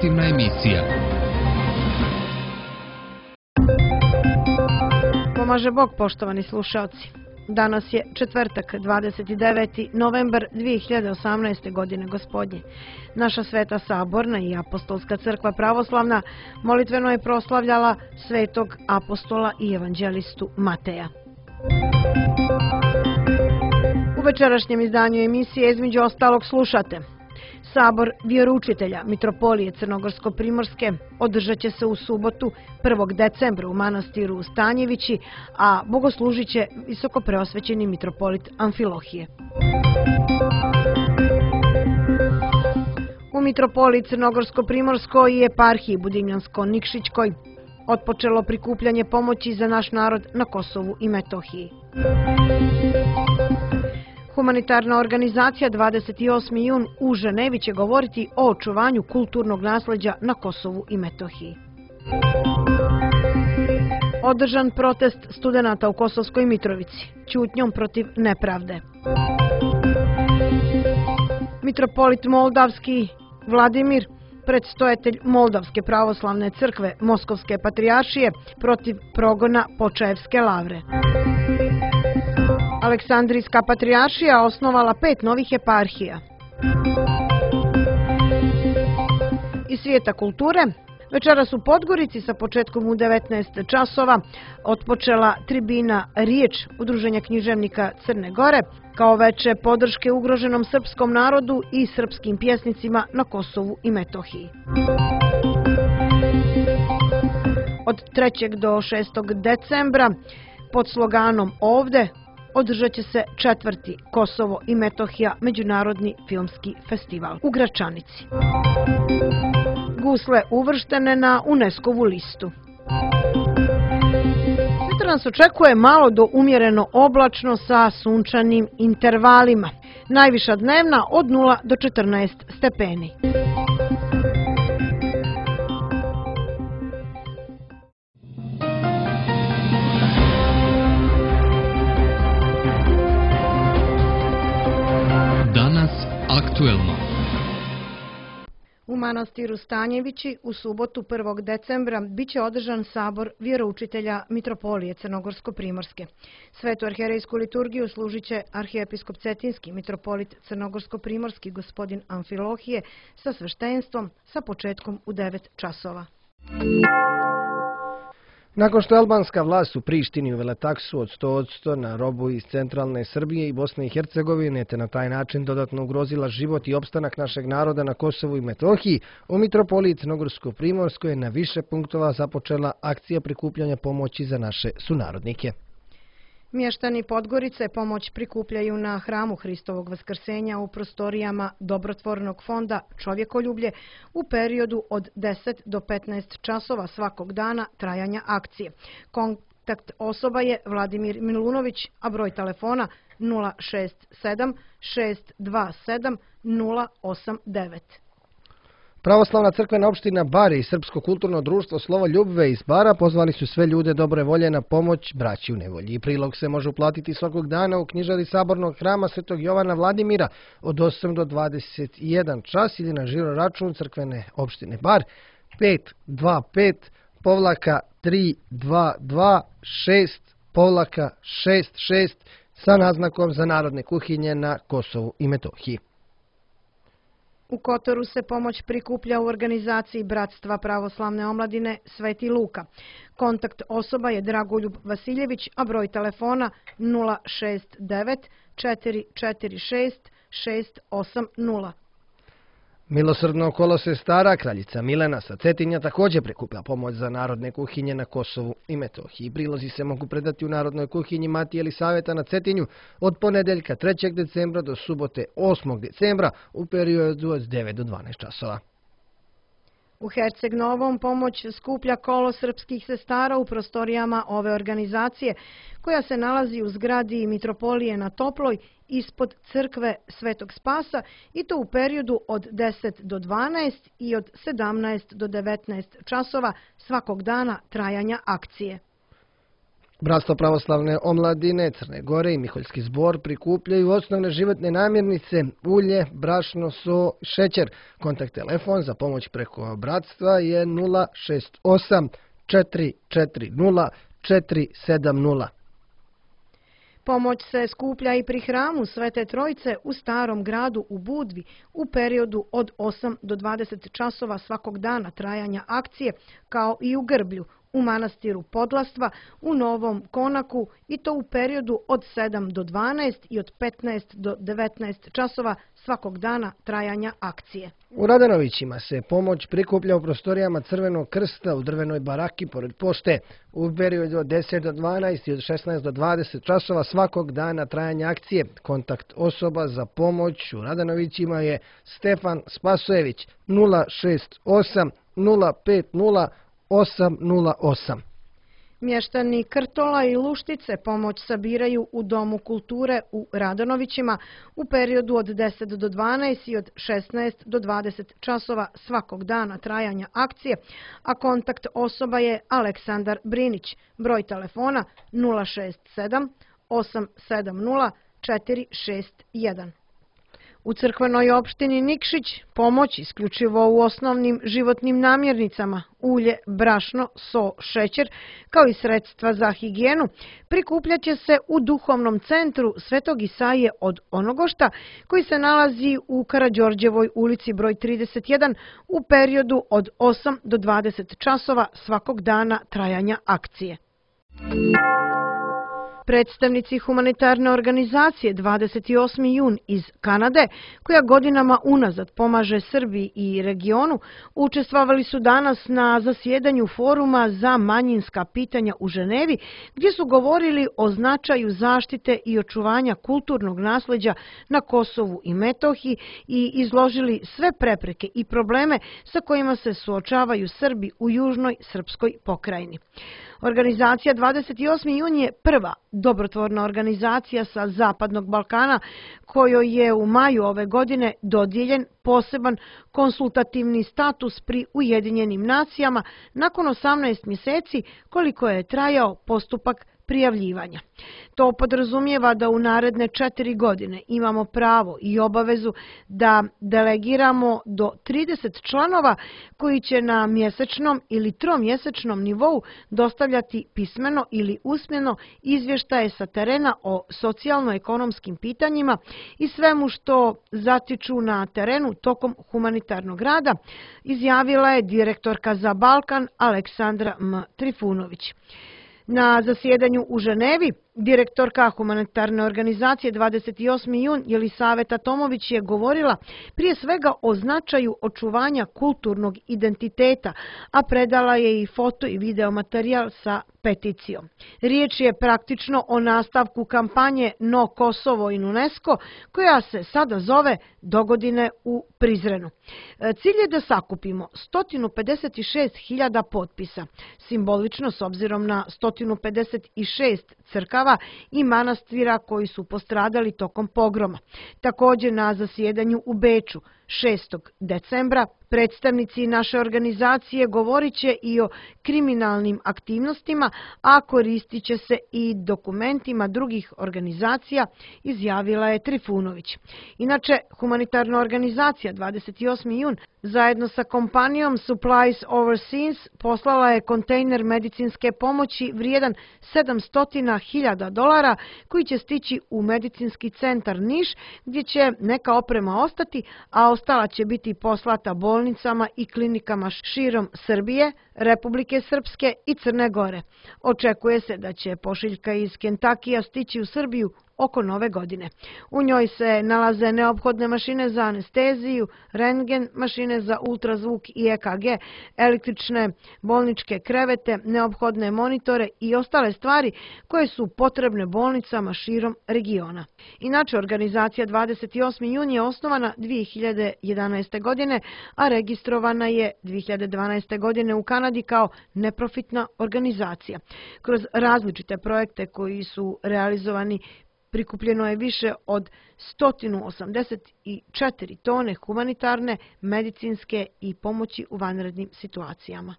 informativna emisija. Pomaže Bog, poštovani slušalci. Danas je četvrtak, 29. novembar 2018. godine gospodnje. Naša Sveta Saborna i Apostolska crkva pravoslavna molitveno je proslavljala svetog apostola i evanđelistu Mateja. U večerašnjem izdanju emisije između ostalog slušate: Sabor vjeroučitelja Mitropolije Crnogorsko-Primorske održat će se u subotu 1. decembra u manastiru Stanjevići, a bogoslužit će visokopreosvećeni mitropolit Amfilohije. U Mitropoliji Crnogorsko-Primorskoj i eparhiji Budimljansko-Nikšićkoj otpočelo prikupljanje pomoći za naš narod na Kosovu i Metohiji. Humanitarna organizacija 28. jun u Ženevi će govoriti o očuvanju kulturnog nasleđa na Kosovu i Metohiji. Održan protest studenata u Kosovskoj Mitrovici, ćutnjom protiv nepravde. Mitropolit Moldavski Vladimir, predstojatelj Moldavske pravoslavne crkve Moskovske patrijaršije, protiv progona Počaevske lavre. Aleksandrijska patrijaršija osnovala 5 novih eparhija. Iz svijeta kulture, večeras u Podgorici sa početkom u 19 časova otpočela tribina Riječ Udruženja književnika Crne Gore kao veče podrške ugroženom srpskom narodu i srpskim pjesnicima na Kosovu i Metohiji. Od 3. do 6. decembra pod sloganom Ovde održat će se 4. Kosovo i Metohija međunarodni filmski festival u Gračanici. Gusle uvrštene na UNESCO-vu listu. Sutra nas očekuje malo do umjereno oblačno sa sunčanim intervalima. Najviša dnevna od 0 do 14 stepeni. Aktuelno. U manastiru Stanjevići u subotu 1. decembra biće održan sabor vjeroučitelja Mitropolije Crnogorsko-Primorske. Svetu arhijerejsku liturgiju služit će arhijepiskop Cetinski, mitropolit Crnogorsko-Primorski gospodin Amfilohije sa sveštenstvom sa početkom u 9 časova. Nakon što je albanska vlast u Prištini uvela taksu od 100% na robu iz centralne Srbije i Bosne i Hercegovine, te na taj način dodatno ugrozila život i opstanak našeg naroda na Kosovu i Metohiji, u Mitropoliji Crnogorsko-Primorskoj je na više punktova započela akcija prikupljanja pomoći za naše sunarodnike. Mještani Podgorice pomoć prikupljaju na hramu Hristovog vaskrsenja u prostorijama dobrotvornog fonda Čovjekoljublje u periodu od 10 do 15 časova svakog dana trajanja akcije. Kontakt osoba je Vladimir Milunović, a broj telefona 067 627 089. Pravoslavna crkvena opština Bar i Srpsko kulturno društvo Slovo Ljubve iz Bara pozvali su sve ljude dobre volje na pomoć braći u nevolji. Prilog se može uplatiti svakog dana u knjižari Sabornog hrama Svetog Jovana Vladimira od 8 do 21 čas ili na žiro račun crkvene opštine Bar 525-322-6-66 sa naznakom za narodne kuhinje na Kosovu i Metohiji. U Kotoru se pomoć prikuplja u organizaciji Bratstva pravoslavne omladine Sveti Luka. Kontakt osoba je Dragoljub Vasiljević, a broj telefona 069 446 680. Milosrdno kolo sestara kraljica Milena sa Cetinja također prikuplja pomoć za narodne kuhinje na Kosovu i Metohiji. Prilozi se mogu predati u Narodnoj kuhinji Matije Elisaveta na Cetinju od ponedeljka 3. decembra do subote 8. decembra u periodu od 9 do 12 časova. U Herceg Novom pomoć skuplja kolo srpskih sestara u prostorijama ove organizacije, koja se nalazi u zgradi Mitropolije na Toploj ispod crkve Svetog Spasa, i to u periodu od 10 do 12 i od 17 do 19 časova svakog dana trajanja akcije. Bratstvo pravoslavne omladine Crne Gore i Miholjski zbor prikupljaju osnovne životne namirnice, ulje, brašno, so, šećer. Kontakt telefon za pomoć preko bratstva je 068 440 470. Pomoć se skuplja i pri hramu Svete Trojice u Starom gradu u Budvi u periodu od 8 do 20 časova svakog dana trajanja akcije, kao i u Grblju, u manastiru Podlastva, u Novom Konaku i to u periodu od 7 do 12 i od 15 do 19 časova svakog dana trajanja akcije. U Radanovićima se pomoć prikuplja u prostorijama Crvenog krsta u drvenoj baraki pored pošte u periodu od 10 do 12 i od 16 do 20 časova svakog dana trajanja akcije. Kontakt osoba za pomoć u Radanovićima je Stefan Spasojević 068 050 808. Mještani Krtola i Luštice pomoć sabiraju u Domu kulture u Radanovićima u periodu od 10 do 12 i od 16 do 20 časova svakog dana trajanja akcije, a kontakt osoba je Aleksandar Brinić, broj telefona 067 870 461. U crkvenoj opštini Nikšić pomoć isključivo u osnovnim životnim namirnicama, ulje, brašno, so, šećer, kao i sredstva za higijenu, prikupljaće se u duhovnom centru Svetog Isaije od Onogošta, koji se nalazi u Karađorđevoj ulici broj 31 u periodu od 8 do 20 časova svakog dana trajanja akcije. Predstavnici humanitarne organizacije 28. jun iz Kanade, koja godinama unazad pomaže Srbiji i regionu, učestvovali su danas na zasjedanju foruma za manjinska pitanja u Ženevi, gdje su govorili o značaju zaštite i očuvanja kulturnog nasleđa na Kosovu i Metohiji i izložili sve prepreke i probleme sa kojima se suočavaju Srbi u južnoj srpskoj pokrajini. Organizacija 28. jun je prva dobrotvorna organizacija sa Zapadnog Balkana kojoj je u maju ove godine dodijeljen poseban konsultativni status pri Ujedinjenim nacijama nakon 18 mjeseci koliko je trajao postupak prijavljivanja. To podrazumijeva da u naredne 4 godine imamo pravo i obavezu da delegiramo do 30 članova koji će na mjesečnom ili tromjesečnom nivou dostavljati pismeno ili usmeno izvještaje sa terena o socijalno-ekonomskim pitanjima i svemu što zatiču na terenu tokom humanitarnog rada, izjavila je direktorka za Balkan Aleksandra M. Trifunović. Na zasjedanju u Ženevi direktorka humanitarne organizacije 28. jun Jelisaveta Tomović je govorila prije svega o značaju očuvanja kulturnog identiteta, a predala je i foto i video materijal sa peticijom. Riječ je praktično o nastavku kampanje No Kosovo in UNESCO, koja se sada zove Dogodine u Prizrenu. Cilj je da sakupimo 156.000 potpisa, simbolično s obzirom na 156 crkava i manastira koji su postradali tokom pogroma. Također na zasjedanju u Beču 6. decembra predstavnici naše organizacije govorit će i o kriminalnim aktivnostima, a koristit će se i dokumentima drugih organizacija, izjavila je Trifunović. Inače, humanitarna organizacija 28. jun zajedno sa kompanijom Supplies Overseas poslala je kontejner medicinske pomoći vrijedan $700.000 koji će stići u medicinski centar Niš, gdje će neka oprema ostati, a ostala će biti poslata bolnicama i klinikama širom Srbije, Republike Srpske i Crne Gore. Očekuje se da će pošiljka iz Kentakija stići u Srbiju oko Nove godine. U njoj se nalaze neophodne mašine za anesteziju, rentgen, mašine za ultrazvuk i EKG, električne bolničke krevete, neophodne monitore i ostale stvari koje su potrebne bolnicama širom regiona. Inače, organizacija 28. jun je osnovana 2011. godine, a registrovana je 2012. godine u Kanadi kao neprofitna organizacija. Kroz različite projekte koji su realizovani prikupljeno je više od 184 tone humanitarne, medicinske i pomoći u vanrednim situacijama.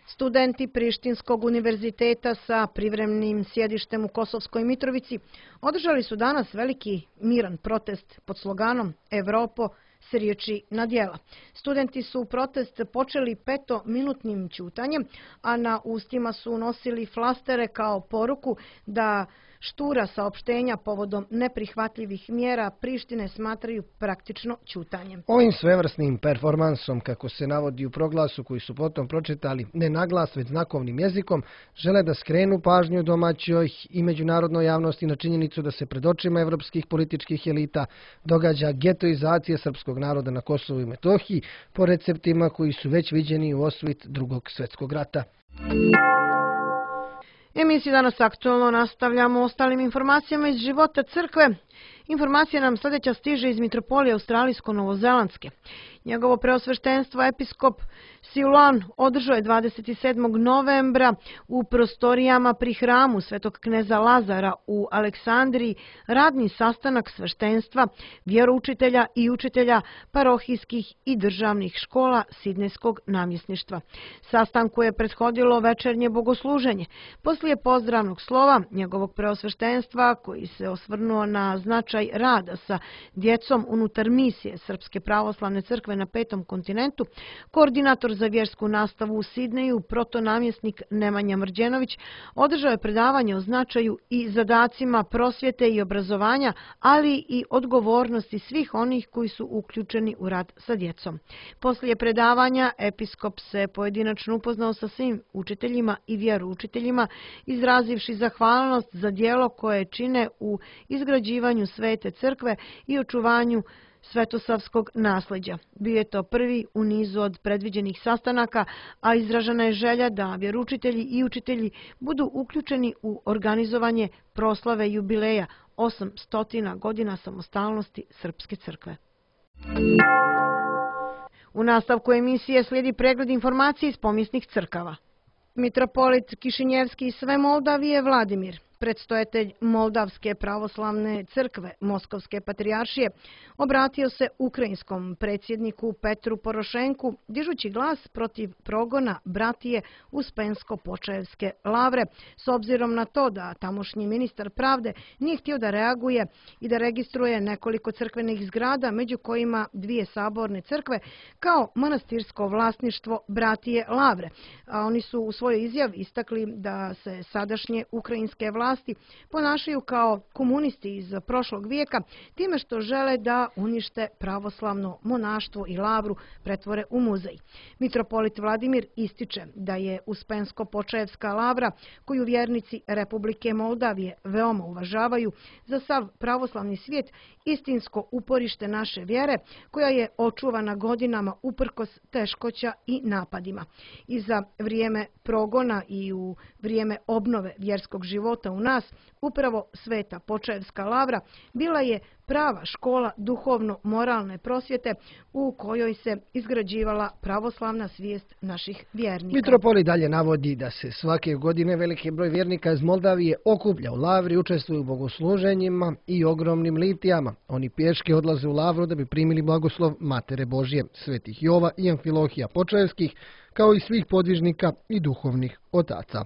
Studenti Prištinskog univerziteta sa privremenim sjedištem u Kosovskoj Mitrovici održali su danas veliki miran protest pod sloganom Evropo s riječi na djela. Studenti su protest počeli 5-minutnim ćutanjem, a na ustima su nosili flastere kao poruku da štura saopštenja povodom neprihvatljivih mjera Prištine smatraju praktično ćutanjem. Ovim svevrsnim performansom, kako se navodi u proglasu koji su potom pročitali ne na glas već znakovnim jezikom, žele da skrenu pažnju domaćoj i međunarodnoj javnosti na činjenicu da se pred očima evropskih političkih elita događa getoizacija srpskog naroda na Kosovu i Metohiji po receptima koji su već viđeni u osvit Drugog svjetskog rata. Emisiju Danas aktualno nastavljamo ostalim informacijama iz života crkve. Informacija nam sljedeća stiže iz Mitropolije Australijsko-Novozelandske. Njegovo preosveštenstvo episkop Siluan održao je 27. novembra u prostorijama pri hramu Svetog kneza Lazara u Aleksandriji radni sastanak sveštenstva, vjeroučitelja i učitelja parohijskih i državnih škola Sidnejskog namjesništva. Sastanku je prethodilo večernje bogosluženje. Poslije pozdravnog slova njegovog preosveštenstva, koji se osvrnuo na značaj rada sa djecom unutar misije Srpske pravoslavne crkve na Petom kontinentu, koordinator za vjersku nastavu u Sidneju, protonamjesnik Nemanja Mrđenović, održao je predavanje o značaju i zadacima prosvjete i obrazovanja, ali i odgovornosti svih onih koji su uključeni u rad sa djecom. Poslije predavanja episkop se pojedinačno upoznao sa svim učiteljima i vjeroučiteljima, izrazivši zahvalnost za djelo koje čine u izgrađivanju Svete crkve i očuvanju svetosavskog nasljeđa. Bio je to prvi u nizu od predviđenih sastanaka, a izražena je želja da vjeroučitelji i učitelji budu uključeni u organizovanje proslave jubileja 800 godina samostalnosti Srpske crkve. U nastavku emisije slijedi pregled informacije iz pomijesnih crkava. Mitropolit Kišinjevski i sve Moldavije Vladimir, predstojatelj Moldavske pravoslavne crkve Moskovske patrijaršije, obratio se ukrajinskom predsjedniku Petru Porošenku, dižući glas protiv progona bratije Uspensko-Počaevske lavre, s obzirom na to da tamošnji ministar pravde nije htio da reaguje i da registruje nekoliko crkvenih zgrada, među kojima 2 saborne crkve, kao manastirsko vlasništvo bratije lavre. A oni su u svojoj izjavi istakli da se sadašnje ukrajinske vlasti ponašaju kao komunisti iz prošlog vijeka, time što žele da unište pravoslavno monaštvo i lavru pretvore u muzej. Mitropolit Vladimir ističe da je Uspensko-Počaevska lavra, koju vjernici Republike Moldavije veoma uvažavaju, za sav pravoslavni svijet istinsko uporište naše vjere, koja je očuvana godinama uprkos teškoća i napadima. I za vrijeme progona i u vrijeme obnove vjerskog života u nas, upravo Sveta Počaevska lavra bila je prava škola duhovno-moralne prosvjete u kojoj se izgrađivala pravoslavna svijest naših vjernika. Mitropolit dalje navodi da se svake godine veliki broj vjernika iz Moldavije okuplja u lavri, učestvuju u bogosluženjima i ogromnim litijama. Oni pješke odlaze u lavru da bi primili blagoslov Matere Božje, svetih Jova i Amfilohija Počaevskih, kao i svih podvižnika i duhovnih otaca.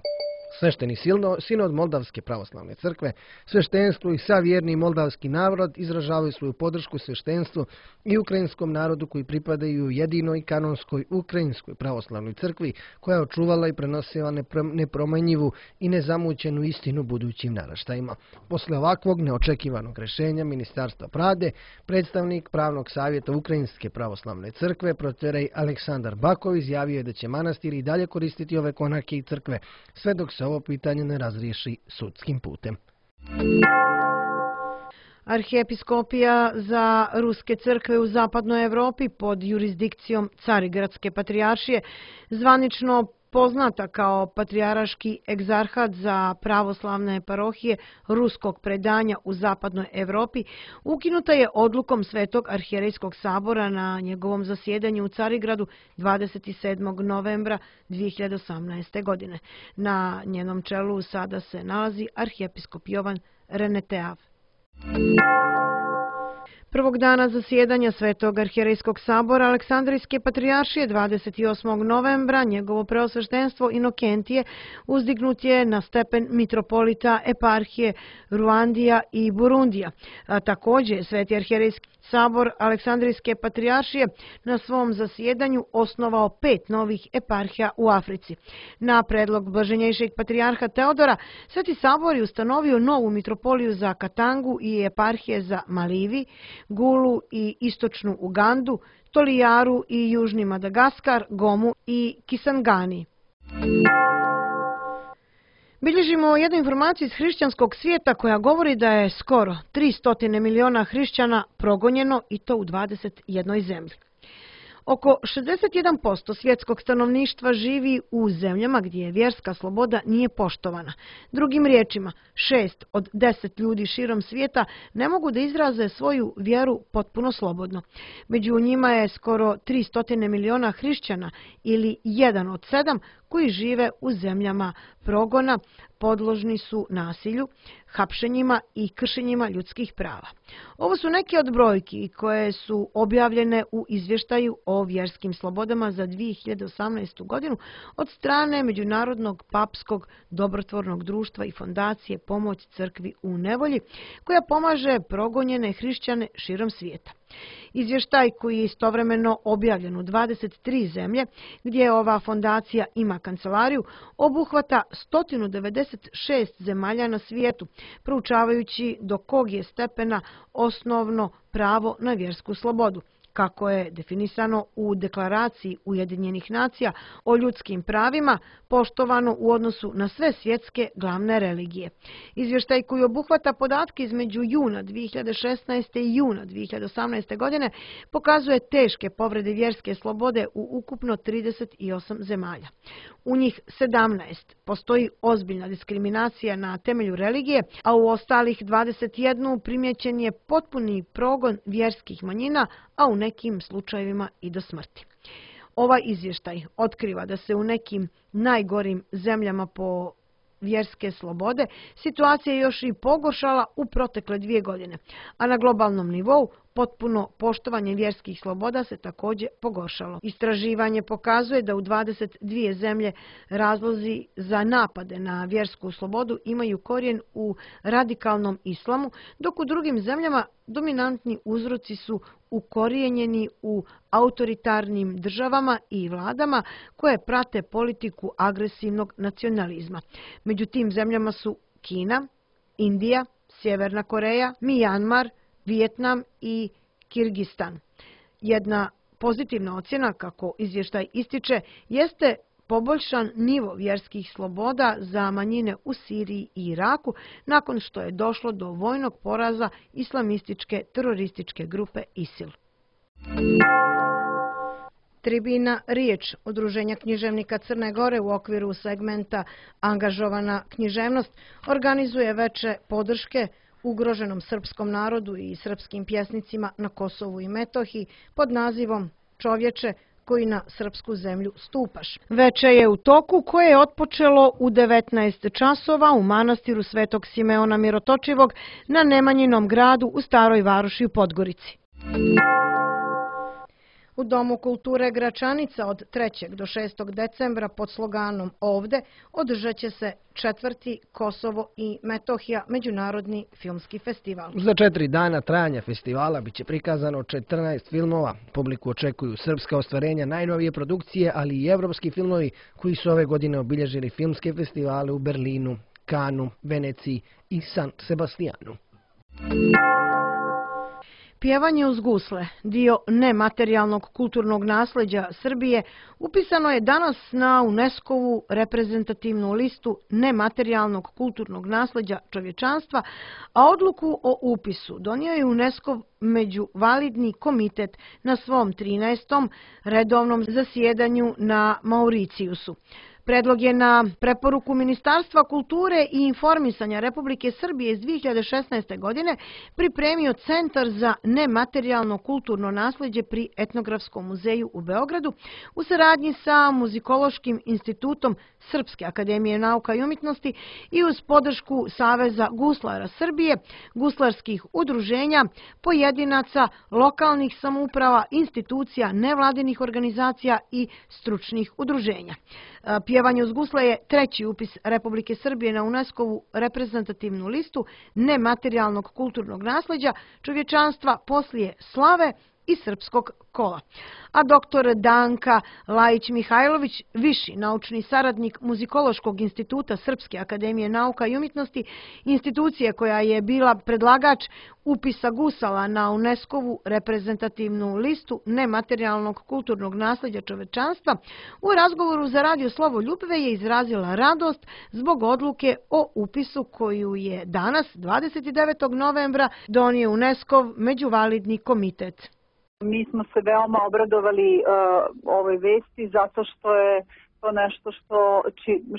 Svešteni sinod Moldavske pravoslavne crkve, sveštenstvu i savjerni moldavski narod izražavaju svoju podršku sveštenstvu i ukrajinskom narodu koji pripadaju jedinoj kanonskoj ukrajinskoj pravoslavnoj crkvi, koja je očuvala i prenosila nepromenjivu i nezamućenu istinu budućim naraštajima. Posle ovakvog neočekivanog rješenja Ministarstva pravde, predstavnik pravnog savjeta Ukrajinske pravoslavne crkve, proterej Aleksandar Bakov, izjavio je da će manastir i dalje koristiti ove konake i crkve, sve dok se ovo pitanje ne razriješi sudskim putem. Arhijepiskopija za ruske crkve u zapadnoj Evropi pod jurisdikcijom Carigradske patrijaršije, zvanično poznata kao Patrijarški egzarhat za pravoslavne parohije ruskog predanja u zapadnoj Evropi, ukinuta je odlukom Svetog arhijerejskog sabora na njegovom zasjedanju u Carigradu 27. novembra 2018. godine. Na njenom čelu sada se nalazi arhijepiskop Jovan Reneteav. Prvog dana zasjedanja Svetog arhijerejskog sabora Aleksandrijske patrijaršije 28. novembra njegovo preosveštenstvo Inokentije uzdignut je na stepen mitropolita eparhije Ruandija i Burundija. A također Sveti arhijerejski sabor Aleksandrijske patrijaršije na svom zasjedanju osnovao 5 novih eparhija u Africi. Na predlog blaženjejšeg patrijarha Teodora, Sveti sabor je ustanovio novu mitropoliju za Katangu i eparhije za Malivi, Gulu i istočnu Ugandu, Tolijaru i južni Madagaskar, Gomu i Kisangani. Bilježimo jednu informaciju iz hrišćanskog svijeta koja govori da je skoro 300 miliona hrišćana progonjeno i to u 21 zemlji. Oko 61% svjetskog stanovništva živi u zemljama gdje vjerska sloboda nije poštovana. Drugim riječima, 6 od 10 ljudi širom svijeta ne mogu da izraze svoju vjeru potpuno slobodno. Među njima je skoro 300 miliona hrišćana ili 1 od 7 koji žive u zemljama progona, podložni su nasilju, hapšenjima i kršenjima ljudskih prava. Ovo su neke od brojki koje su objavljene u izvještaju o vjerskim slobodama za 2018. godinu od strane Međunarodnog papskog dobrotvornog društva i fondacije Pomoć crkvi u nevolji, koja pomaže progonjene hrišćane širom svijeta. Izvještaj koji je istovremeno objavljen u 23 zemlje, gdje ova fondacija ima kancelariju, obuhvata 196 zemalja na svijetu, proučavajući do kog je stepena osnovno pravo na vjersku slobodu, kako je definisano u Deklaraciji Ujedinjenih nacija o ljudskim pravima, poštovano u odnosu na sve svjetske glavne religije. Izvještaj koji obuhvata podatke između juna 2016. i juna 2018. godine pokazuje teške povrede vjerske slobode u ukupno 38 zemalja. U njih 17 postoji ozbiljna diskriminacija na temelju religije, a u ostalih 21 primjećen je potpuni progon vjerskih manjina, a u nekim slučajevima i do smrti. Ovaj izvještaj otkriva da se u nekim najgorim zemljama po vjerske slobode situacija je još i pogoršala u protekle 2 godine, a na globalnom nivou potpuno poštovanje vjerskih sloboda se također pogoršalo. Istraživanje pokazuje da u 22 zemlje razlozi za napade na vjersku slobodu imaju korijen u radikalnom islamu, dok u drugim zemljama dominantni uzroci su ukorijenjeni u autoritarnim državama i vladama koje prate politiku agresivnog nacionalizma. Među tim zemljama su Kina, Indija, Sjeverna Koreja, Mijanmar, Vijetnam i Kirgistan. Jedna pozitivna ocjena, kako izvještaj ističe, jeste poboljšan nivo vjerskih sloboda za manjine u Siriji i Iraku nakon što je došlo do vojnog poraza islamističke terorističke grupe ISIL. Tribina Riječ, Udruženja književnika Crne Gore u okviru segmenta Angažovana književnost, organizuje veče podrške ugroženom srpskom narodu i srpskim pjesnicima na Kosovu i Metohiji pod nazivom Čovječe koji na srpsku zemlju stupaš. Veče je u toku koje je otpočelo u 19 časova u manastiru Svetog Simeona Mirotočivog na Nemanjinom gradu u Staroj Varoši u Podgorici. U Domu kulture Gračanica od 3. do 6. decembra pod sloganom Ovde održat će se 4. Kosovo i Metohija međunarodni filmski festival. Za 4 dana trajanja festivala biće prikazano 14 filmova. Publiku očekuju srpska ostvarenja, najnovije produkcije, ali i evropski filmovi koji su ove godine obilježili filmske festivale u Berlinu, Kanu, Veneciji i San Sebastijanu. Pjevanje uz gusle, dio nematerijalnog kulturnog nasljeđa Srbije, upisano je danas na UNESCO-vu reprezentativnu listu nematerijalnog kulturnog nasljeđa čovječanstva, a odluku o upisu donio je UNESCO međuvalidni komitet na svom 13. redovnom zasjedanju na Mauricijusu. Predlog je na preporuku Ministarstva kulture i informisanja Republike Srbije iz 2016. godine pripremio Centar za nematerijalno kulturno nasleđe pri Etnografskom muzeju u Beogradu u saradnji sa Muzikološkim institutom Srpske akademije nauka i umjetnosti i uz podršku Saveza guslara Srbije, guslarskih udruženja, pojedinaca, lokalnih samouprava, institucija, nevladinih organizacija i stručnih udruženja. Pjevanje uz gusle je treći upis Republike Srbije na UNESCO-vu reprezentativnu listu nematerijalnog kulturnog nasleđa čovječanstva poslije slave i srpskog kola. A dr. Danka Lajić-Mihajlović, viši naučni saradnik Muzikološkog instituta Srpske akademije nauka i umjetnosti, institucije koja je bila predlagač upisa gusala na UNESCO-vu reprezentativnu listu nematerijalnog kulturnog nasleđa čovečanstva, u razgovoru za Radio Slovoljubve je izrazila radost zbog odluke o upisu koju je danas, 29. novembra, donio UNESCO-v međuvalidni komitet. Mi smo se veoma obradovali ovoj vesti zato što je to nešto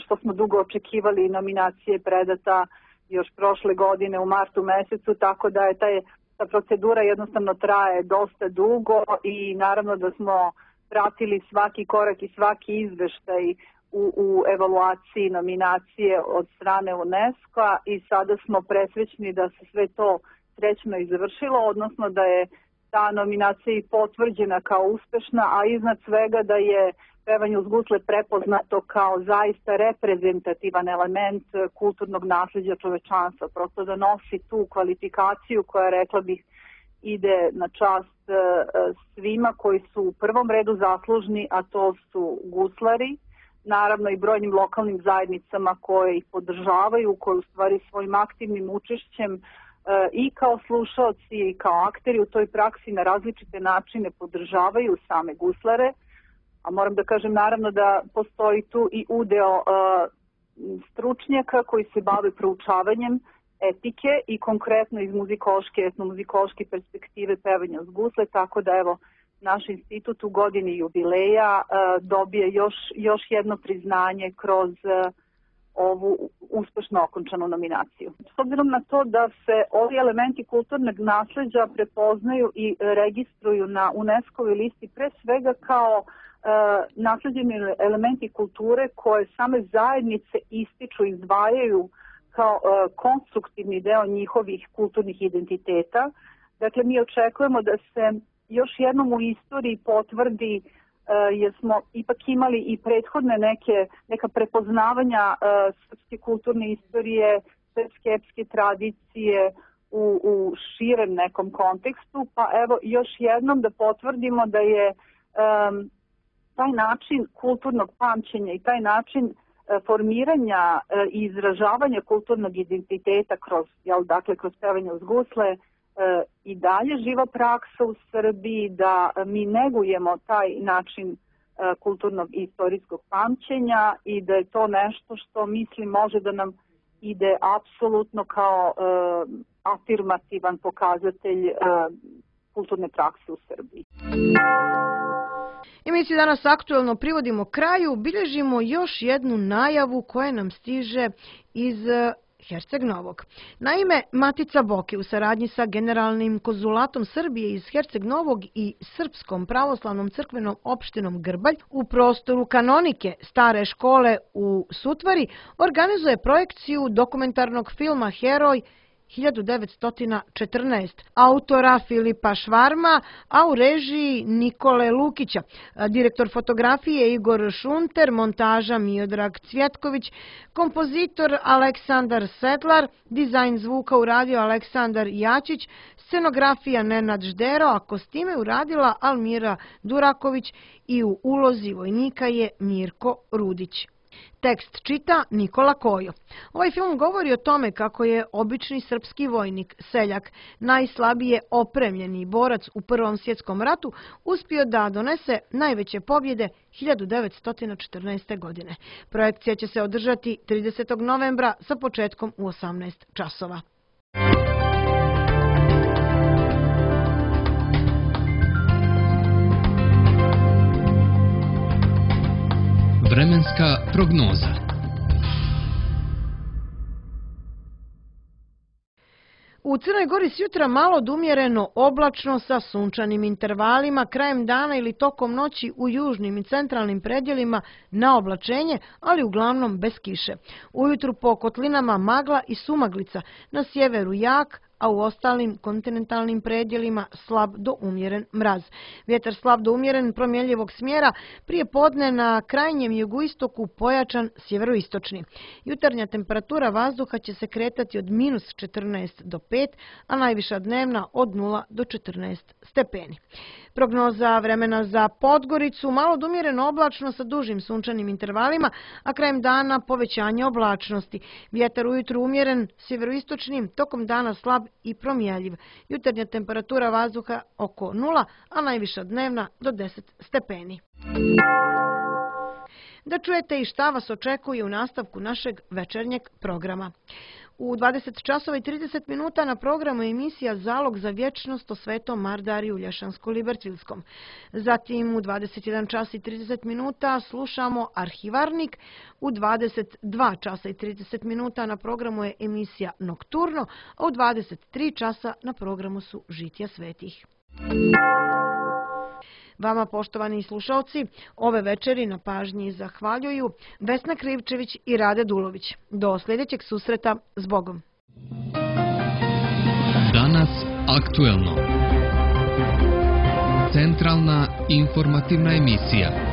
što smo dugo očekivali. Nominacije predata još prošle godine u martu mesecu, tako da je ta procedura jednostavno traje dosta dugo i naravno da smo pratili svaki korak i svaki izveštaj u evaluaciji nominacije od strane UNESCO-a i sada smo presrećni da se sve to srećno i završilo, odnosno da je ta nominacija i potvrđena kao uspešna, a iznad svega da je pevanje uz gusle prepoznato kao zaista reprezentativan element kulturnog nasleđa čovečanstva. Prosto da nosi tu kvalifikaciju koja, rekla bih, ide na čast svima koji su u prvom redu zaslužni, a to su guslari, naravno i brojnim lokalnim zajednicama koje ih podržavaju, koje u stvari svojim aktivnim učešćem i kao slušaoci i kao akteri u toj praksi na različite načine podržavaju same guslare, a moram da kažem naravno da postoji tu i udeo stručnjaka koji se bave proučavanjem etike i konkretno iz muzikološke, etnomuzikološke perspektive pevanja uz gusle, tako da evo naš institut u godini jubileja dobije još jedno priznanje kroz ovu uspešno okončanu nominaciju. S obzirom na to da se ovi elementi kulturnog nasleđa prepoznaju i registruju na UNESCO-voj listi pre svega kao nasleđeni elementi kulture koje same zajednice ističu i izdvajaju kao konstruktivni deo njihovih kulturnih identiteta. Dakle, mi očekujemo da se još jednom u istoriji potvrdi jer smo ipak imali i prethodne neka prepoznavanja srpske kulturne istorije, srpske epske tradicije u širem nekom kontekstu, pa evo još jednom da potvrdimo da je taj način kulturnog pamćenja i taj način formiranja i izražavanja kulturnog identiteta kroz pevanje uz gusle i dalje živa praksa u Srbiji, da mi negujemo taj način kulturnog i istorijskog pamćenja i da je to nešto što mislim može da nam ide apsolutno kao afirmativan pokazatelj kulturne prakse u Srbiji. Emisiju danas aktuelno privodimo kraju, bilježimo još jednu najavu koja nam stiže iz Herceg Novog. Naime, Matica Boke u saradnji sa Generalnim konzulatom Srbije iz Herceg Novog i Srpskom pravoslavnom crkvenom opštinom Grbalj u prostoru kanonike stare škole u Sutvari organizuje projekciju dokumentarnog filma Heroj 1914 autora Filipa Švarma, a u režiji Nikole Lukića. Direktor fotografije Igor Šunter, montaža Miodrag Cvjetković, kompozitor Aleksandar Sedlar, dizajn zvuka uradio Aleksandar Jačić, scenografija Nenad Ždero, a kostime uradila Almira Duraković i u ulozi vojnika je Mirko Rudić. Tekst čita Nikola Kojo. Ovaj film govori o tome kako je obični srpski vojnik, seljak, najslabije opremljeni borac u Prvom svjetskom ratu, uspio da donese najveće pobjede 1914. godine. Projekcija će se održati 30. novembra sa početkom u 18 časova. Vremenska prognoza. U Crnoj Gori s jutra malo do umjereno oblačno sa sunčanim intervalima, krajem dana ili tokom noći u južnim i centralnim predjelima na oblačenje, ali uglavnom bez kiše. Ujutru po kotlinama magla i sumaglica, na sjeveru jak, a u ostalim kontinentalnim predjelima slab do umjeren mraz. Vjetar slab do umjeren promjenjivog smjera, prije podne na krajnjem jugoistoku pojačan sjeveroistočni. Jutarnja temperatura vazduha će se kretati od -14 do 5, a najviša dnevna od 0 do 14 stepeni. Prognoza vremena za Podgoricu, malo do umjereno oblačno sa dužim sunčanim intervalima, a krajem dana povećanje oblačnosti. Vjetar ujutru umjeren, sjeveroistočnim, tokom dana slab i promjenjiv. Jutarnja temperatura vazduha oko 0, a najviša dnevna do 10 stepeni. Da čujete i šta vas očekuje u nastavku našeg večernjeg programa. U 20 časova i 30 minuta na programu emisija Zalog za vječnost o Svetom Mardariju Lješansko-Libercvilskom. Zatim u 21 čas i 30 minuta slušamo Arhivarnik. U 22 časa i 30 minuta na programu je emisija Nokturno, a u 23 časa na programu su Žitja svetih. Vama, poštovani slušalci, ove večeri na pažnji zahvaljuju Vesna Krivčević i Rade Dulović. Do sljedećeg susreta, s Bogom. Danas aktuelno. Centralna informativna emisija.